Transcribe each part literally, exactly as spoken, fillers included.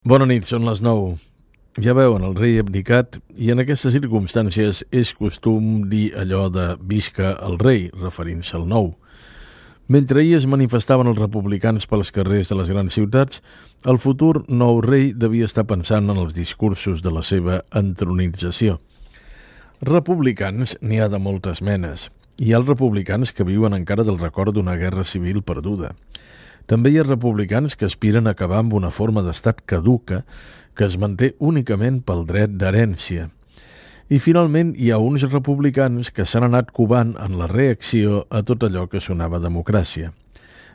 Bona nit, són les nou. Ja veuen, el rei abdicat, i en aquestes circumstàncies és costum dir allò de «visca el rei», referint-se al nou. Mentre ahir es manifestaven els republicans pels carrers de les grans ciutats, el futur nou rei devia estar pensant en els discursos de la seva entronització. Republicans n'hi ha de moltes menes. Hi ha els republicans que viuen encara del record d'una guerra civil perduda. També hi ha republicans que aspiren a acabar amb una forma d'estat caduca que es manté únicament pel dret d'herència. I finalment hi ha uns republicans que s'han anat covant en la reacció a tot allò que sonava democràcia.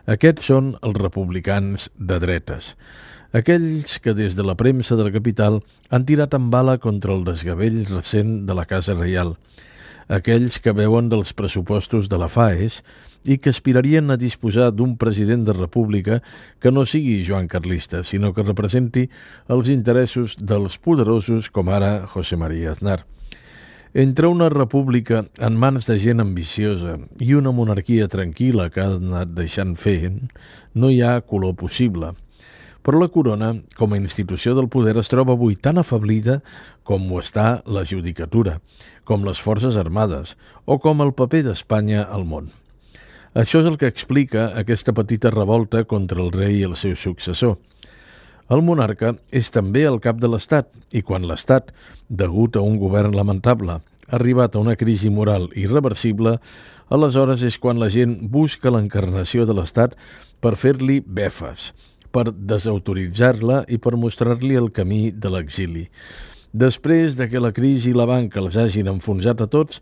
Aquests són els republicans de dretes. Aquells que des de la premsa de la capital han tirat en bala contra el desgavell recent de la Casa Reial. Aquells que veuen dels pressupostos de la FAES i que aspirarien a disposar d'un president de república que no sigui Joan Carlista, sinó que representi els interessos dels poderosos com ara José María Aznar. Entre una república en mans de gent ambiciosa i una monarquia tranquil·la que ha anat deixant fer, no hi ha color possible. Però la corona, com a institució del poder, es troba avui tan afablida com ho està la judicatura, com les forces armades o com el paper d'Espanya al món. Això és el que explica aquesta petita revolta contra el rei i el seu successor. El monarca és també el cap de l'Estat i quan l'Estat, degut a un govern lamentable, ha arribat a una crisi moral irreversible, aleshores és quan la gent busca l'encarnació de l'Estat per fer-li befes, per desautoritzar-la i per mostrar-li el camí de l'exili. Després de que la crisi i la banca els hagin enfonsat a tots,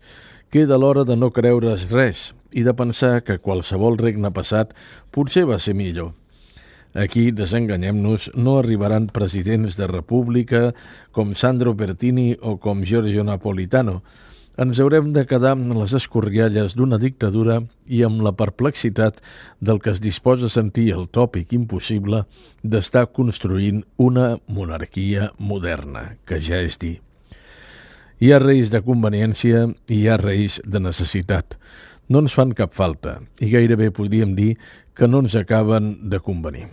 queda l'hora de no creure's res i de pensar que qualsevol regne passat potser va ser millor. Aquí, desenganyem-nos, no arribaran presidents de república com Sandro Pertini o com Giorgio Napolitano. Ens haurem de quedar amb les escorrialles d'una dictadura i amb la perplexitat del que es disposa a sentir el tòpic impossible d'estar construint una monarquia moderna, que ja és dir. Hi ha reis de conveniència i hi ha reis de necessitat. No ens fan cap falta i gairebé podríem dir que no ens acaben de convenir.